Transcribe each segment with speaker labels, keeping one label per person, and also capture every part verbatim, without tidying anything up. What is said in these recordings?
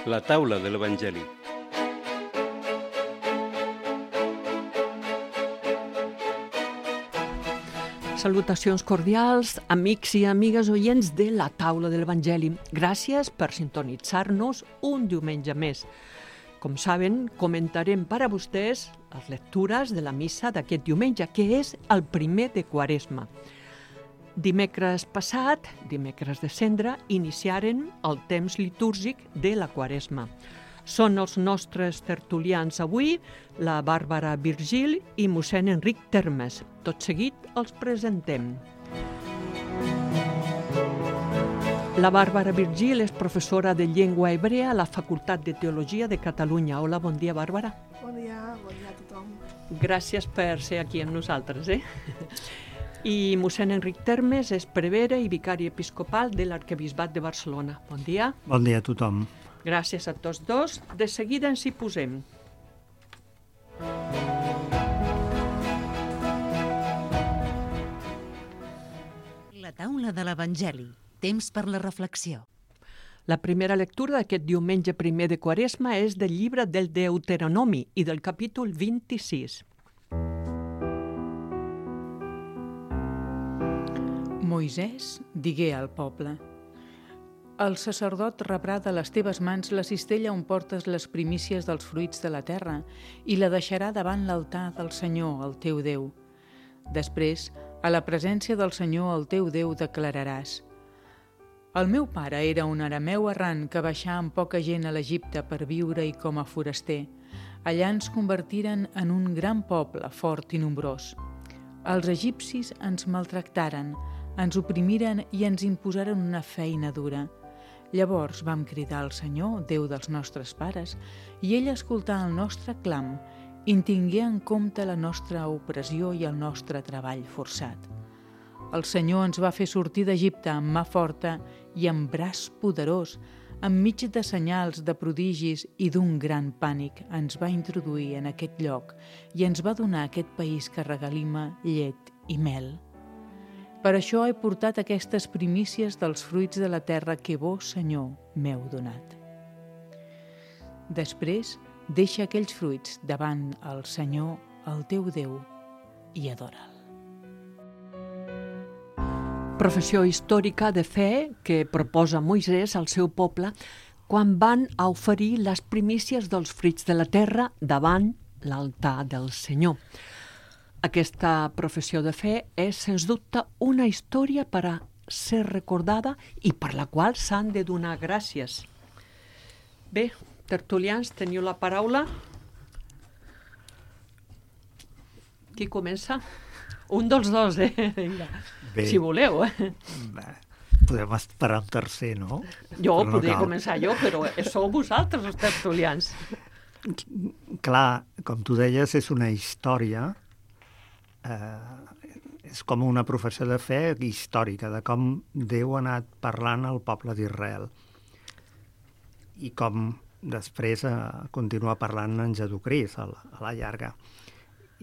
Speaker 1: La taula de l'Evangeli.
Speaker 2: Salutacions cordials, amics i amigues oients de la taula de l'Evangeli. Gràcies per sintonitzar-nos un diumenge més. Com saben, comentarem per a vostès les lectures de la missa d'aquest diumenge, que és el primer de Quaresma. Dimecres passat, dimecres de Cendra, iniciaren el temps litúrgic de la Quaresma. Són els nostres tertulians avui, la Bàrbara Virgil i mossèn Enric Termes. Tot seguit els presentem. La Bàrbara Virgil és professora de llengua hebrea a la Facultat de Teologia de Catalunya. Hola, bon dia, Bàrbara.
Speaker 3: Bon dia, bon dia a tothom.
Speaker 2: Gràcies per ser aquí amb nosaltres, eh? I mossèn Enric Termes és prevere i vicari episcopal de l'Arquebisbat de Barcelona. Bon dia.
Speaker 4: Bon dia a tothom.
Speaker 2: Gràcies a tots dos. De seguida ens hi posem.
Speaker 5: La taula de l'Evangeli. Temps per la reflexió.
Speaker 2: La primera lectura d'aquest diumenge primer de Quaresma és del llibre del Deuteronomi i del capítol vint-i-sis.
Speaker 6: Moisès digué al poble: el sacerdot rebrà de les teves mans la cistella on portes les primícies dels fruits de la terra i la deixarà davant l'altar del Senyor, el teu Déu. Després, a la presència del Senyor, el teu Déu, declararàs: el meu pare era un arameu errant que baixà amb poca gent a l'Egipte per viure-hi com a foraster. Allà ens convertiren en un gran poble, fort i nombrós. Els egipcis ens maltractaren, ens oprimiren i ens imposaren una feina dura. Llavors vam cridar al Senyor, Déu dels nostres pares, i ell escoltà el nostre clam i tingué en compte la nostra opressió i el nostre treball forçat. El Senyor ens va fer sortir d'Egipte amb mà forta i amb braç poderós, enmig de senyals, de prodigis i d'un gran pànic ens va introduir en aquest lloc i ens va donar aquest país que regalima llet i mel. Per això he portat aquestes primícies dels fruits de la terra que vos, Senyor, m'heu donat. Després, deixa aquells fruits davant el Senyor, el teu Déu, i adora'l.
Speaker 2: Professió històrica de fe que proposa Moisès al seu poble quan van a oferir les primícies dels fruits de la terra davant l'altar del Senyor. Aquesta professió de fe és, sens dubte, una història per a ser recordada i per la qual s'han de donar gràcies. Bé, tertulians, teniu la paraula. Qui comença? Un dels dos, eh? Bé. Si voleu, eh?
Speaker 4: Bé, podem esperar un tercer, no?
Speaker 2: Jo
Speaker 4: però
Speaker 2: podria
Speaker 4: no
Speaker 2: començar jo, però sou vosaltres els tertulians.
Speaker 4: Clar, com tu deies, és una història, eh, és com una professió de fe històrica, de com Déu ha anat parlant al poble d'Israel i com després eh, continua parlant en Jesucrist a la, a la llarga.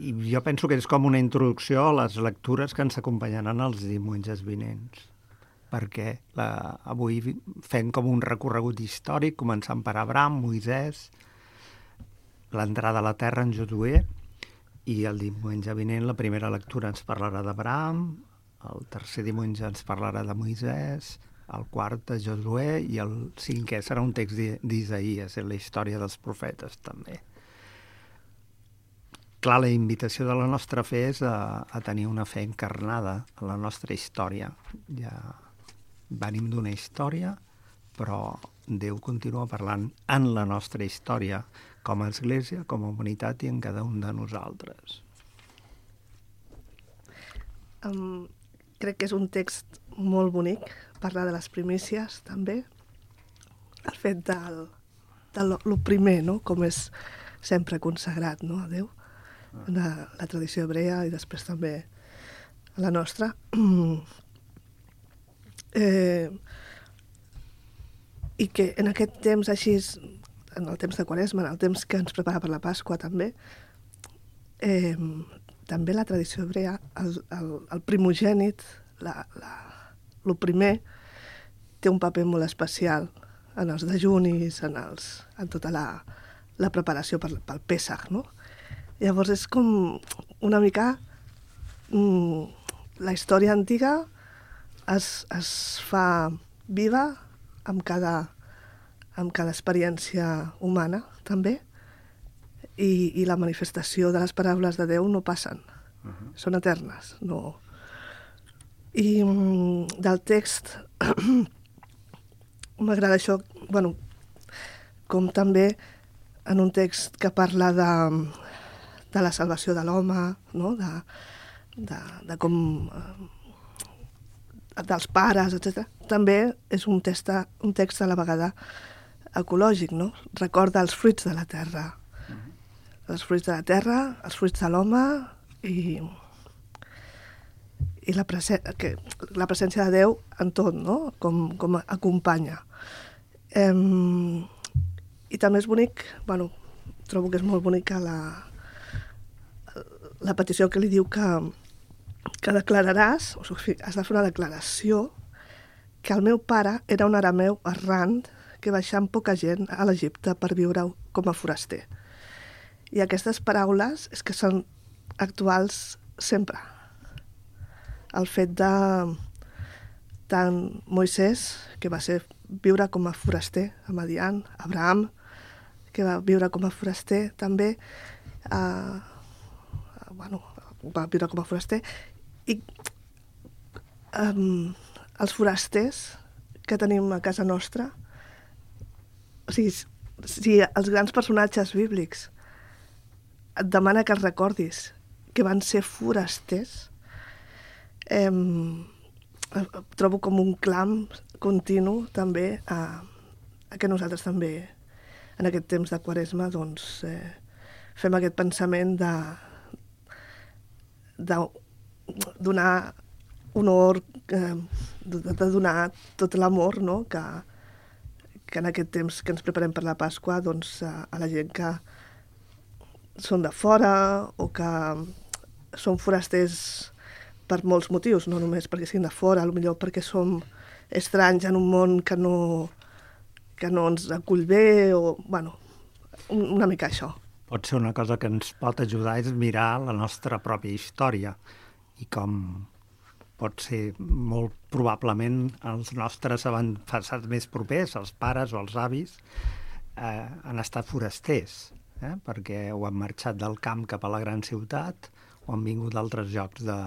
Speaker 4: I jo penso que és com una introducció a les lectures que ens acompanyaran els diumenges vinents, perquè la, avui fem com un recorregut històric, començant per Abraham, Moisès, l'entrada a la terra en Josuè, i el diumenge vinent la primera lectura ens parlarà d'Abraham, el tercer diumenge ens parlarà de Moisès, el quart de Josuè i el cinquè serà un text d'Isaïes, en la història dels profetes també. Clar, la invitació de la nostra fe és a, a tenir una fe encarnada a la nostra història. Ja venim d'una història, però Déu continua parlant en la nostra història, com a Església, com a humanitat i en cada un de nosaltres.
Speaker 3: Um, crec que és un text molt bonic, parlar de les primícies també, el fet del, de lo, lo primer, no? Com és sempre consagrat, no? A Déu, en la, la tradició hebrea i després també a la nostra. eh, I que en aquest temps així, en el temps de Quaresma, en el temps que ens prepara per la Pasqua també, eh, també la tradició hebrea, el, el, el primogènit, la, la, el primer, té un paper molt especial en els dejunis, en, els, en tota la, la preparació per, pel Pèssec, no? Llavors és com una mica mm, la història antiga es, es fa viva amb cada, amb cada experiència humana, també, i, i la manifestació de les paraules de Déu no passen, uh-huh. Són eternes, no... I mm, del text m'agrada això, bueno, com també en un text que parla de, de la salvació de l'home, no? de, de, de com eh, dels pares, etcètera. També és un text, un text a la vegada ecològic, no? Recorda els fruits de la terra, mm-hmm. els fruits de la terra, els fruits de l'home i i la, presen que, la presència de Déu en tot, no? Com, com acompanya. Um, I també és bonic, bueno, trobo que és molt bonica la, la petició que li diu que, que declararàs, o sigui, has de fer una declaració, que el meu pare era un arameu errant que baixà amb poca gent a l'Egipte per viure com a foraster. I aquestes paraules és que són actuals sempre. El fet de tant Moisès, que va ser viure com a foraster a Madian, Abraham, que va viure com a foraster també, eh, bueno, va viure com a foraster, i eh, els forasters que tenim a casa nostra, o sigui, si els grans personatges bíblics et demana que els recordis que van ser forasters, Eh, trobo com un clam continu també a, a que nosaltres també en aquest temps de Quaresma doncs, eh, fem aquest pensament de, de donar honor, eh, de, de donar tot l'amor, no? que, que en aquest temps que ens preparem per la Pasqua doncs, a, a la gent que són de fora o que són forasters per molts motius, no només perquè siguin de fora, potser perquè som estranys en un món que no, que no ens acull bé, o, bueno, una mica això.
Speaker 4: Pot ser una cosa que ens pot ajudar és mirar la nostra pròpia història i com pot ser molt probablement els nostres avantpassats més propers, els pares o els avis, eh, han estat forasters, eh, perquè o han marxat del camp cap a la gran ciutat o han vingut d'altres llocs de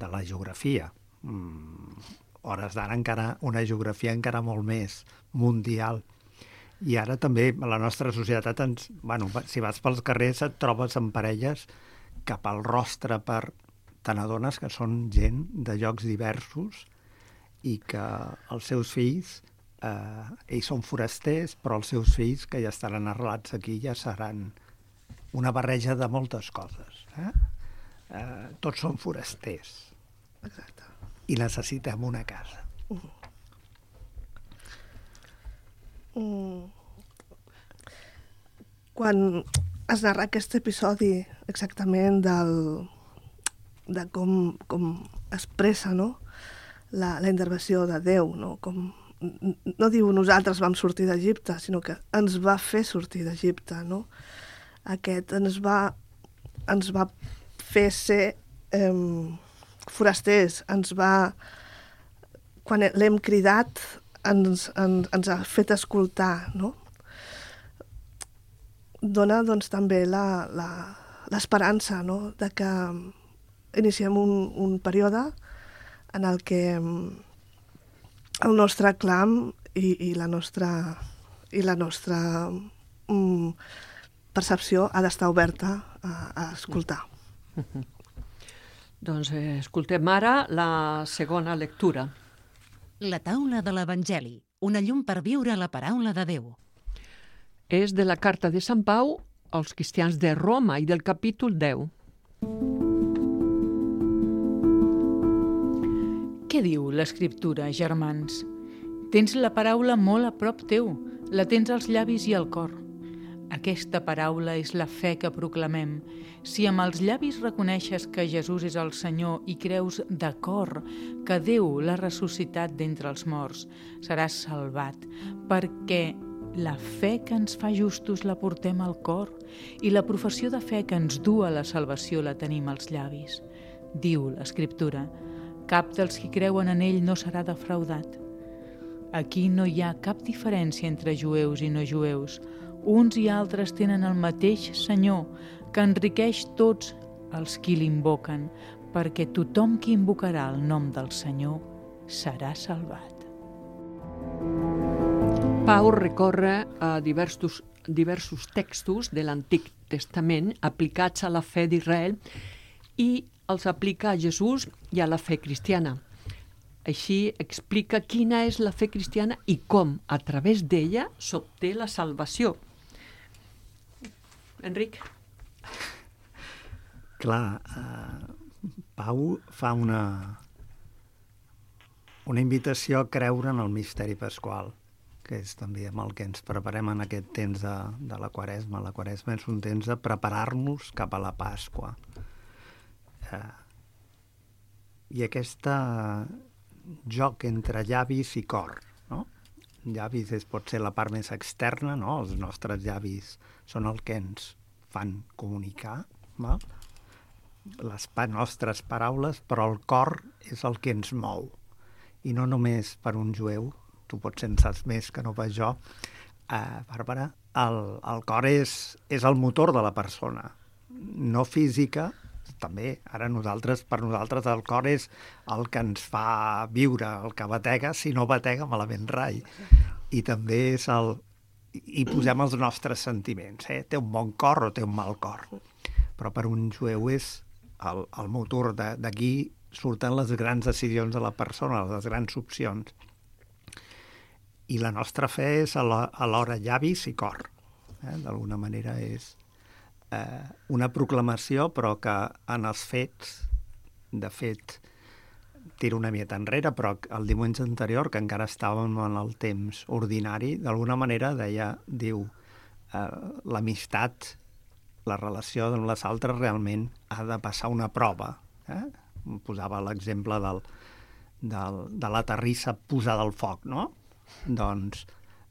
Speaker 4: de la geografia. Mm, hores d'ara encara una geografia encara molt més mundial. I ara també la nostra societat, ens, bueno, si vas pels carrers et trobes en parelles cap al rostre per... Te n'adones que són gent de llocs diversos i que els seus fills, eh, ells són forasters, però els seus fills que ja estaran arrelats aquí ja seran una barreja de moltes coses. Eh? Eh, tots són forasters.
Speaker 3: Exacte.
Speaker 4: I necessitem una casa.
Speaker 3: Uh-huh. Mm. Quan es narra aquest episodi exactament del, de com, com expressa, no? la, la intervenció de Déu, no? Com, no diu nosaltres vam sortir d'Egipte, sinó que ens va fer sortir d'Egipte, no? Aquest ens va, ens va fer ser eh, forasters, ens va... Quan l'hem cridat, ens, ens, ens ha fet escoltar, no? Dona, doncs, també la, la, l'esperança, no?, de que iniciem un, un període en el que el nostre clam i, i la nostra, i la nostra um, percepció ha d'estar oberta a, a escoltar.
Speaker 2: Uh-huh. Doncs eh, escoltem ara la segona lectura.
Speaker 5: La taula de l'Evangeli, una llum per viure la paraula de Déu.
Speaker 2: És de la carta de Sant Pau als cristians de Roma i del capítol deu.
Speaker 6: Què diu l'Escriptura, germans? Tens la paraula molt a prop teu, la tens als llavis i al cor. Aquesta paraula és la fe que proclamem. Si amb els llavis reconeixes que Jesús és el Senyor i creus de cor que Déu l'ha ressuscitat d'entre els morts, seràs salvat, perquè la fe que ens fa justos la portem al cor i la professió de fe que ens du a la salvació la tenim als llavis. Diu l'Escriptura: cap dels qui creuen en ell no serà defraudat. Aquí no hi ha cap diferència entre jueus i no jueus. Uns i altres tenen el mateix Senyor, que enriqueix tots els qui l'invoquen, perquè tothom qui invocarà el nom del Senyor serà salvat.
Speaker 2: Pau recorre a diversos, diversos textos de l'Antic Testament aplicats a la fe d'Israel i els aplica a Jesús i a la fe cristiana. Així explica quina és la fe cristiana i com, a través d'ella, s'obté la salvació. Enric?
Speaker 4: Clar, eh, Pau fa una, una invitació a creure en el misteri pasqual, que és també amb el que ens preparem en aquest temps de, de la Quaresma. La Quaresma és un temps de preparar-nos cap a la Pasqua. Eh, I aquesta joc entre llavis i cor, no? Llavis és, pot ser la part més externa, no? Els nostres llavis són el que ens fan comunicar, no? Les pa nostres paraules, però el cor és el que ens mou. I no només per un jueu, tu potser en saps més que no pas jo, eh, Bàrbara, el, el cor és, és el motor de la persona, no física, també, ara nosaltres, per nosaltres el cor és el que ens fa viure, el que batega, si no batega malament rai. I també és el... hi posem els nostres sentiments, eh? Té un bon cor o té un mal cor. Però per un jueu és el, el motor, d'aquí surten les grans decisions de la persona, les grans opcions. I la nostra fe és alhora llavis i cor. Eh? D'alguna manera és eh, una proclamació, però que en els fets, de fet, tiro una mieta enrere, però el diumenge anterior, que encara estàvem en el temps ordinari, d'alguna manera deia, diu, eh, l'amistat, la relació amb les altres realment ha de passar una prova. Eh? Posava l'exemple del, del, de la terrissa posada al foc, no? Doncs,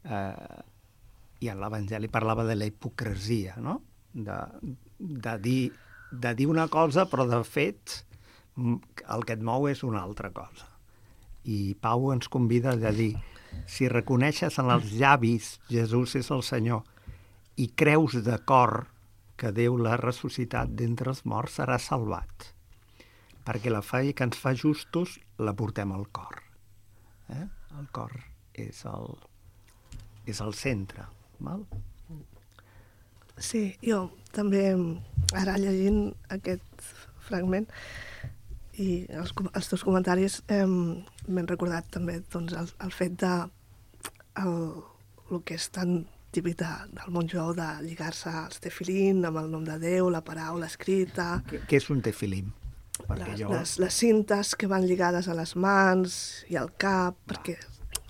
Speaker 4: eh, i en l'Evangeli parlava de la hipocresia, no? De, de, dir, de dir una cosa, però de fet el que et mou és una altra cosa. I Pau ens convida a dir, si reconeixes en els llavis Jesús és el Senyor i creus de cor que Déu l'ha ressuscitat d'entre els morts, seràs salvat. Perquè la fe que ens fa justos la portem al cor. Eh? El cor és el, és el centre. Val?
Speaker 3: Sí, jo també, ara llegint aquest fragment i els, els teus comentaris, eh, m'he recordat també doncs, el, el fet de el, el que és tan típic de, del món jueu de lligar-se als tefilín amb el nom de Déu, la paraula escrita.
Speaker 4: Què és un tefilín?
Speaker 3: Les, jo... les, les cintes que van lligades a les mans i al cap, Va. perquè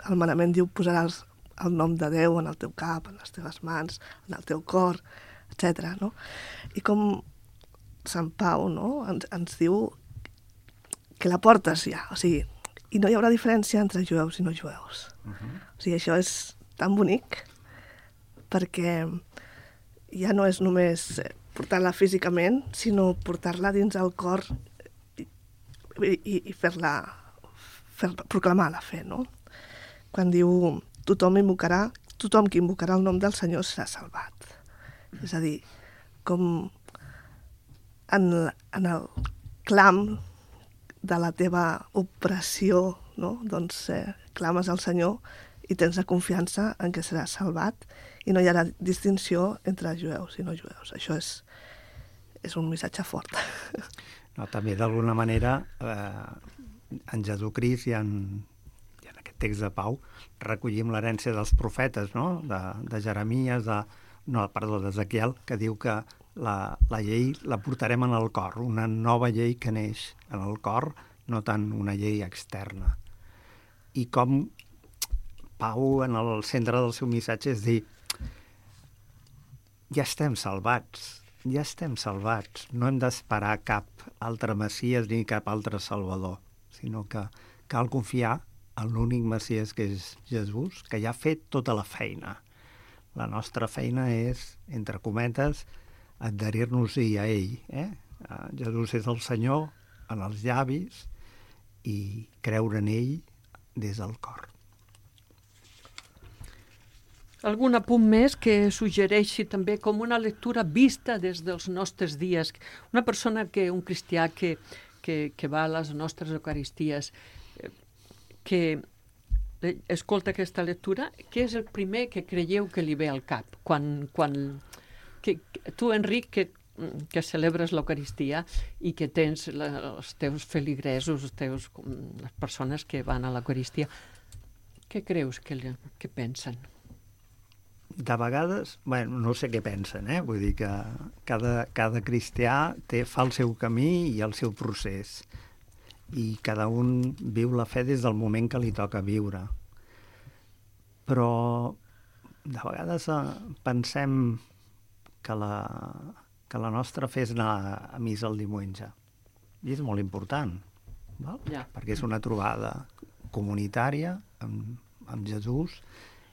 Speaker 3: el manament diu posaràs el nom de Déu en el teu cap, en les teves mans, en el teu cor, etcètera. No? I com Sant Pau, no? ens, ens diu que la portes ja, o sigui, i no hi haurà diferència entre jueus i no jueus. Uh -huh. O sigui, això és tan bonic perquè ja no és només portar-la físicament, sinó portar-la dins el cor i, i, i fer-la, fer proclamar la fe, no? Quan diu tothom invocarà, tothom qui invocarà el nom del Senyor serà salvat. És a dir, com en, en el clam de la teva opressió, no? Doncs eh, clames al Senyor i tens la confiança en què seràs salvat i no hi haurà distinció entre jueus i no jueus. Això és, és un missatge fort.
Speaker 4: No, també d'alguna manera eh, en Jesucrist i en, i en aquest text de Pau recollim l'herència dels profetes, no? de, de Jeremies, de, no, perdó, d'Ezequiel, que diu que la, la llei la portarem en el cor, una nova llei que neix en el cor, no tant una llei externa. I com Pau, en el centre del seu missatge, és dir, ja estem salvats, ja estem salvats. No hem d'esperar cap altre Messies ni cap altre Salvador, sinó que cal confiar en l'únic Messies que és Jesús, que ja ha fet tota la feina. La nostra feina és, entre cometes, adherir-nos-hi a ell. Eh? Jesús és el Senyor en els llavis i creure en ell des del cor.
Speaker 2: Algun apunt més que suggereixi també com una lectura vista des dels nostres dies? Una persona, que un cristià que, que, que va a les nostres eucaristies, que escolta aquesta lectura, què és el primer que creieu que li ve al cap? Quan, quan, que, tu, Enric, que, que celebres l'Eucaristia i que tens la, els teus feligresos, els teus, les persones que van a l'Eucaristia, què creus que, que pensen?
Speaker 4: De vegades, bueno, no sé què pensen, eh? Vull dir que cada, cada cristià té, fa el seu camí i el seu procés, i cada un viu la fe des del moment que li toca viure. Però de vegades eh, pensem que la, que la nostra fe és anar a missa el diumenge. I és molt important, val?
Speaker 2: Ja.
Speaker 4: Perquè és una trobada comunitària amb, amb Jesús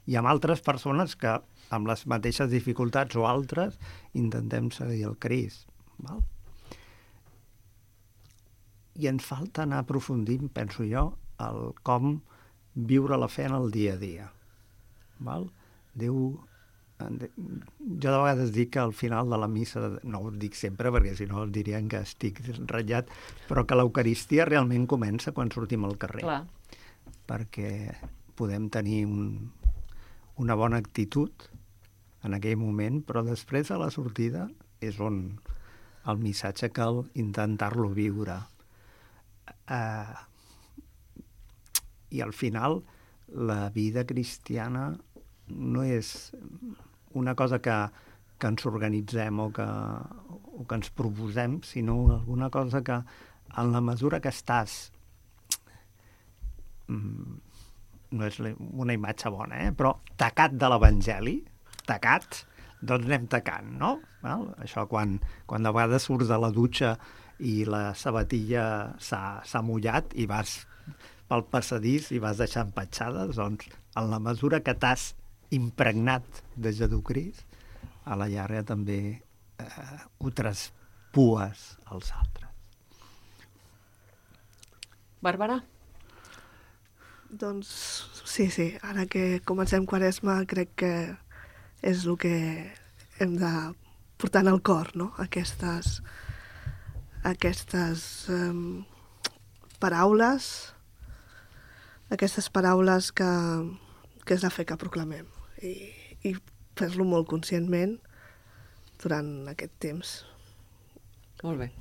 Speaker 4: i amb altres persones que amb les mateixes dificultats o altres intentem seguir el Crist. Val? I ens falta anar aprofundint, penso jo, el com viure la fe en el dia a dia. Val? Déu... Jo de vegades dic que al final de la missa, no ho dic sempre perquè si no dirien que estic ratllat, però que l'Eucaristia realment comença quan sortim al carrer.
Speaker 2: Clar.
Speaker 4: Perquè podem tenir un, una bona actitud en aquell moment, però després a la sortida és on el missatge cal intentar-lo viure. Uh, i al final la vida cristiana no és una cosa que, que ens organitzem o que, o que ens proposem, sinó alguna cosa que en la mesura que estàs no és una imatge bona, eh? Però tacat de l'Evangeli, tacat, doncs anem tacant, no? Val? Això quan, quan de vegades surts de la dutxa i la sabatilla s'ha mullat i vas pel passadís i vas deixant petjades, doncs en la mesura que t'has impregnat de Jesucrist, a la llarga també eh, ho traspues als altres.
Speaker 2: Bàrbara?
Speaker 3: Doncs sí, sí, ara que comencem Quaresma crec que és el que hem de portar en el cor, no? Aquestes, aquestes um, paraules, aquestes paraules que, que és la fe que proclamem i, i fer-lo molt conscientment durant aquest temps.
Speaker 2: Molt bé.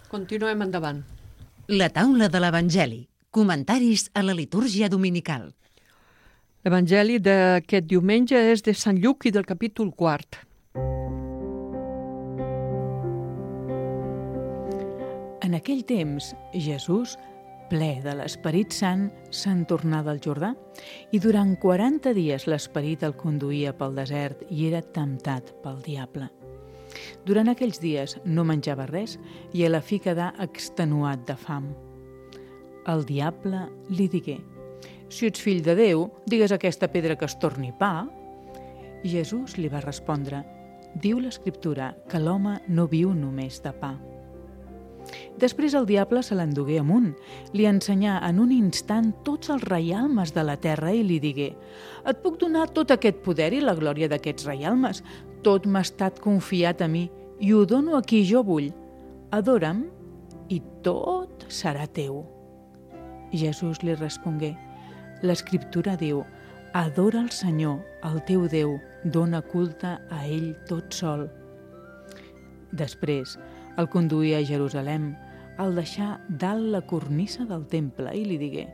Speaker 2: Continuem endavant.
Speaker 5: La taula de l'Evangeli. Comentaris a la litúrgia dominical.
Speaker 2: L'Evangeli d'aquest diumenge és de Sant Lluc i del capítol quart.
Speaker 6: En aquell temps, Jesús, ple de l'Esperit Sant, se'n tornà del Jordà i durant quaranta dies l'Esperit el conduïa pel desert i era temptat pel diable. Durant aquells dies no menjava res i a la fi quedà extenuat de fam. El diable li digué: «Si ets fill de Déu, digues a aquesta pedra que es torni pa». I Jesús li va respondre: «Diu l'Escriptura que l'home no viu només de pa». Després el diable se l'endugué amunt, li ensenyà en un instant tots els reialmes de la terra i li digué: «Et puc donar tot aquest poder i la glòria d'aquests reialmes. Tot m'ha estat confiat a mi i ho dono a qui jo vull. Adora'm i tot serà teu». Jesús li respongué: «L'Escriptura diu: adora el Senyor, el teu Déu, dona culte a ell tot sol». Després el conduí a Jerusalem, el deixà dalt la cornissa del temple i li digué: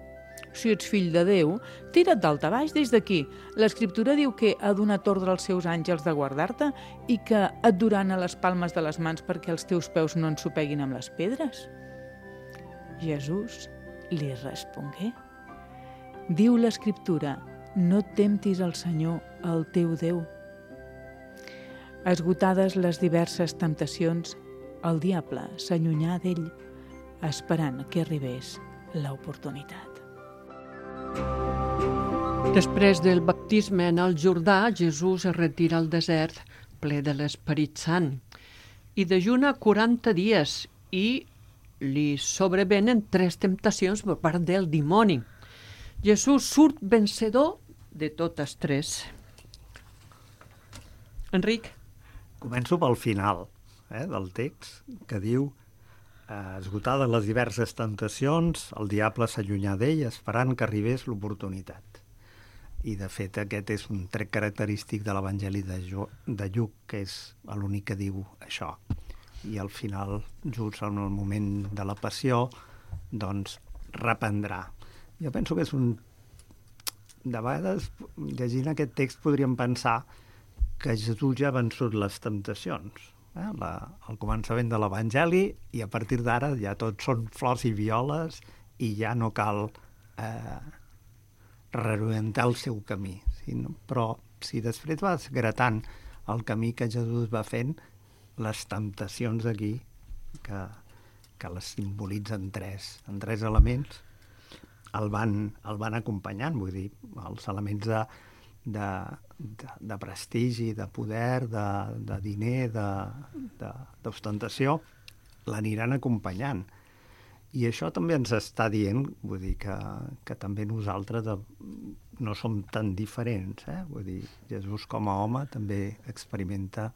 Speaker 6: «Si ets fill de Déu, tira't dalt a baix des d'aquí. L'Escriptura diu que ha donat ordre als seus àngels de guardar-te i que et duran a les palmes de les mans perquè els teus peus no ensopeguin amb les pedres». Jesús li respongué: «Diu l'Escriptura, no temptis el Senyor, el teu Déu». Esgotades les diverses temptacions, el diable s'allunyà d'ell, esperant que arribés l'oportunitat.
Speaker 2: Després del baptisme en el Jordà, Jesús es retira al desert ple de l'Esperit Sant i dejuna quaranta dies i li sobrevenen tres temptacions per part del dimoni. Jesús surt vencedor de totes tres. Enric?
Speaker 4: Començo pel final eh, del text, que diu eh, esgotades les diverses tentacions, el diable s'allunyà d'ell esperant que arribés l'oportunitat. I, de fet, aquest és un tret característic de l'Evangeli de, jo, de Lluc, que és l'únic que diu això. I al final, just en el moment de la passió, doncs, reprendrà. Jo penso que és un... De vegades, llegint aquest text, podríem pensar que Jesús ja ha vençut les temptacions. Eh? La, el començament de l'Evangeli, i a partir d'ara ja tot són flors i violes i ja no cal eh, reorientar el seu camí. Sí, no? Però si després vas gratant el camí que Jesús va fent, les temptacions aquí, que, que les simbolitzen tres, en tres elements, el van, el van acompanyant, vull dir, els elements de, de, de, de prestigi, de poder, de, de diner, d'ostentació, l'aniran acompanyant. I això també ens està dient, vull dir, que, que també nosaltres de, no som tan diferents, eh? Vull dir, Jesús com a home també experimenta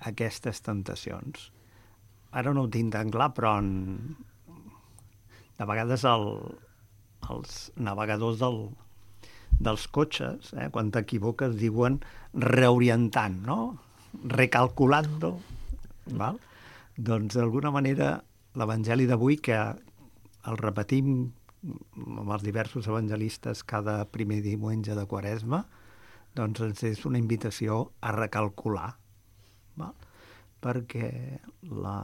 Speaker 4: aquestes tentacions. Ara no ho tinc tan clar, però en, de vegades el, els navegadors del, dels cotxes, eh, quan t'equivoques, diuen reorientant, no? Recalculando, val? Doncs d'alguna manera l'Evangeli d'avui, que el repetim amb els diversos evangelistes cada primer diumenge de Quaresma, doncs ens és una invitació a recalcular, val? Perquè la,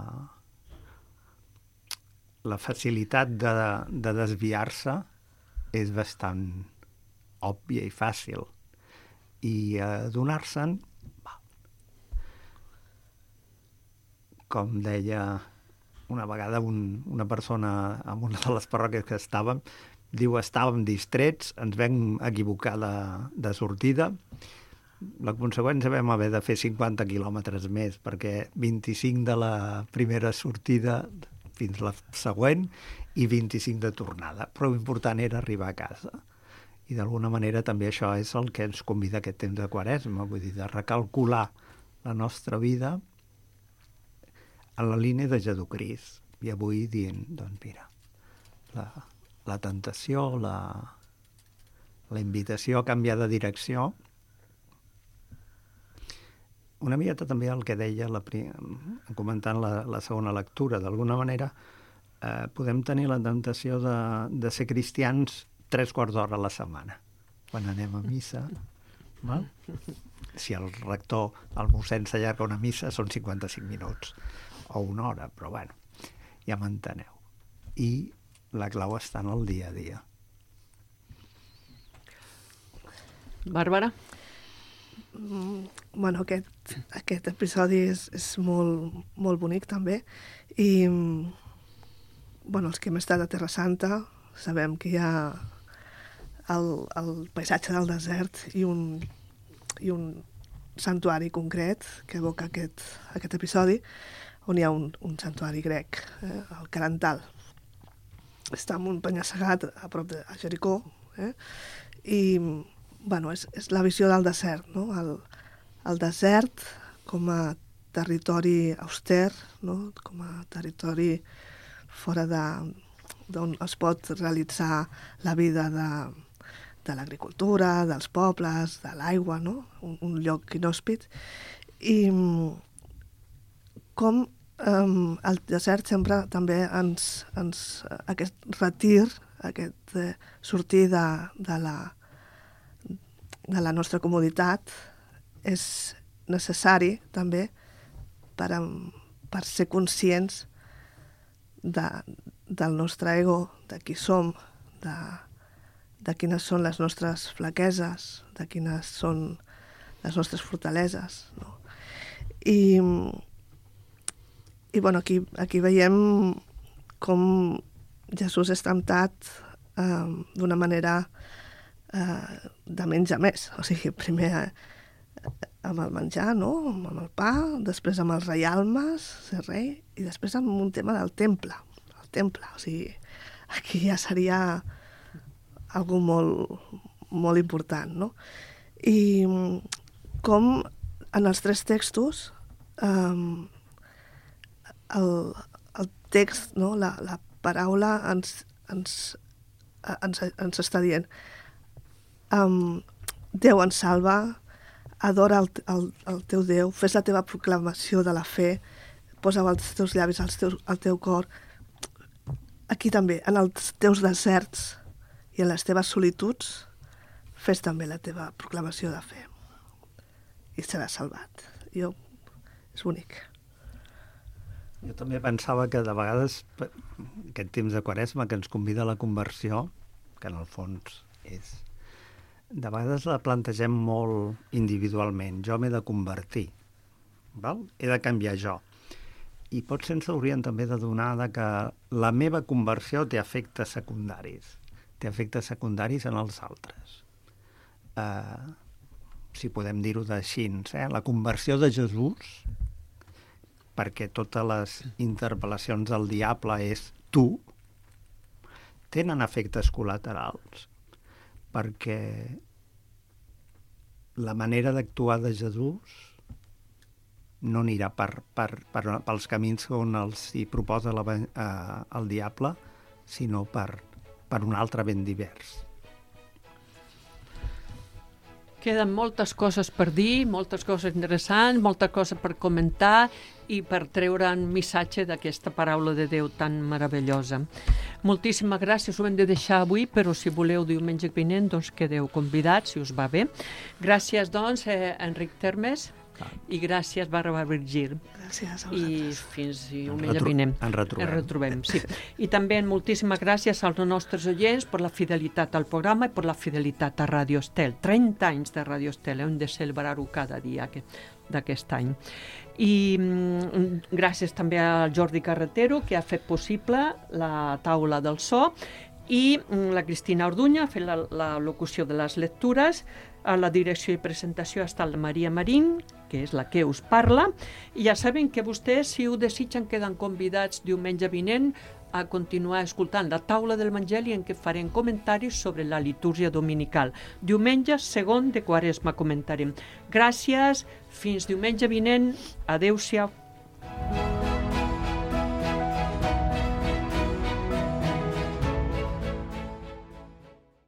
Speaker 4: la facilitat de, de desviar-se és bastant òbvia i fàcil. I adonar-se'n, com deia una vegada un, una persona en una de les parròquies que estàvem, diu, estàvem distrets, ens vam equivocar de, de sortida, la conseqüència vam haver de fer cinquanta quilòmetres més, perquè vint-i-cinc de la primera sortida fins la següent i vint-i-cinc de tornada. Però l'important era arribar a casa. I d'alguna manera també això és el que ens convida aquest temps de Quaresma, vull dir, de recalcular la nostra vida en la línia de Jesucrist. I avui dient, doncs mira, la, la tentació, la, la invitació a canviar de direcció, una miqueta també el que deia la, comentant la, la segona lectura. D'alguna manera eh, podem tenir la tentació de, de ser cristians tres quarts d'hora a la setmana, quan anem a missa. Val? Si el rector, el mossèn s'allarga una missa, són cinquanta-cinc minuts o una hora, però bueno, ja m'enteneu. I la clau està en el dia a dia.
Speaker 2: Bàrbara?
Speaker 3: Mm, bueno, aquest, aquest episodi és, és molt, molt bonic també, i bueno, els que hem estat a Terra Santa sabem que hi ha el, el paisatge del desert i un, i un santuari concret que evoca aquest, aquest episodi, on hi ha un, un santuari grec, eh, el Carantal. Està en un penya-segat a prop de Jericó, eh, i bueno, és, és la visió del desert, no? El, el desert com a territori auster, no? Com a territori fora de, d'on es pot realitzar la vida de, de l'agricultura, dels pobles, de l'aigua, no? Un, un lloc inhòspit. I com um, el desert sempre també ens, ens aquest retir, aquest eh, sortir de, de la de la nostra comoditat és necessari també per, per ser conscients de, del nostre ego, de qui som, de, de quines són les nostres flaqueses, de quines són les nostres fortaleses, no? I, i bueno, aquí, aquí veiem com Jesús és temptat eh, d'una manera eh, de menys a més. O sigui, primer eh, amb el menjar, no? Amb el pa, després amb els reialmes, ser rei, i després amb un tema del temple. El temple, o sigui, aquí ja seria algo molt, molt important, no? I com en els tres textos um, el, el text, no? la, la paraula ens, ens, ens, ens està dient um, Déu ens salva, adora el, el, el teu Déu, fes la teva proclamació de la fe, posa els teus llavis al teu, al teu cor. Aquí també, en els teus deserts i en les teves solituds, fes també la teva proclamació de fe i seràs salvat. Jo, és bonic.
Speaker 4: Jo també pensava que de vegades aquest temps de Quaresma que ens convida a la conversió, que en el fons és... De vegades la plantegem molt individualment. Jo m'he de convertir, val? He de canviar jo. I potser ens hauríem també de donar de que la meva conversió té efectes secundaris. Té efectes secundaris en els altres. Uh, si podem dir-ho d'així, eh? La conversió de Jesús, perquè totes les interpel·lacions del diable és tu, tenen efectes col·laterals, perquè la manera d'actuar de Jesús no anirà per, per, per, pels camins on els hi proposa la, eh, el diable, sinó per, per un altre ben divers.
Speaker 2: Queden moltes coses per dir, moltes coses interessants, moltes coses per comentar i per treure un missatge d'aquesta paraula de Déu tan meravellosa. Moltíssimes gràcies, ho hem de deixar avui, però si voleu diumenge vinent, doncs quedeu convidats, si us va bé. Gràcies, doncs, eh, Enric Termes, i gràcies, Bàrbara Virgil.
Speaker 3: Gràcies a
Speaker 2: I
Speaker 3: vosaltres.
Speaker 2: fins diumenge vinent.
Speaker 4: Ens retrobem.
Speaker 2: Ens retrobem, sí. I també moltíssimes gràcies als nostres oients per la fidelitat al programa i per la fidelitat a Radio Estel. trenta anys de Radio Estel, hem de celebrar-ho cada dia d'aquest any. I mm, gràcies també al Jordi Carretero, que ha fet possible la taula del so, i mm, la Cristina Orduña ha fet la, la locució de les lectures. A la direcció i presentació està la Maria Marín, que és la que us parla, i ja saben que vostès, si ho desitgen, queden convidats diumenge vinent a continuar escoltant la taula del Evangeli, en què farem comentaris sobre la litúrgia dominical. Diumenge segon de Quaresma comentarem. Gràcies, fins diumenge vinent, adeu-siau.